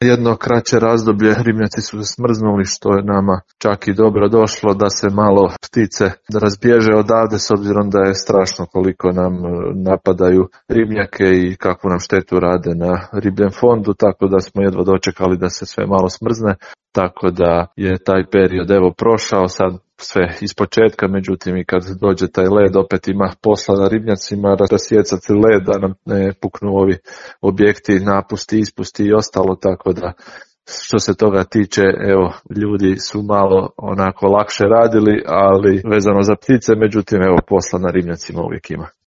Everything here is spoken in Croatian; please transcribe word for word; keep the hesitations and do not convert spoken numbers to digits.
jedno kraće razdoblje ribnjaci su se smrznuli, što je nama čak i dobro došlo da se malo ptice razbježe odavde, s obzirom da je strašno koliko nam napadaju ribnjake i kakvu nam štetu rade na ribljem fondu, tako da smo jedva dočekali da se sve malo smrzne, tako da je taj period evo prošao, sad sve iz početka, međutim i kad dođe taj led opet ima posla na ribnjacima rasjecati led da nam ne puknu ovi objekti, napusti, ispusti i ostalo, tako da što se toga tiče, evo, ljudi su malo onako lakše radili, ali vezano za ptice, međutim evo posla na ribnjacima uvijek ima.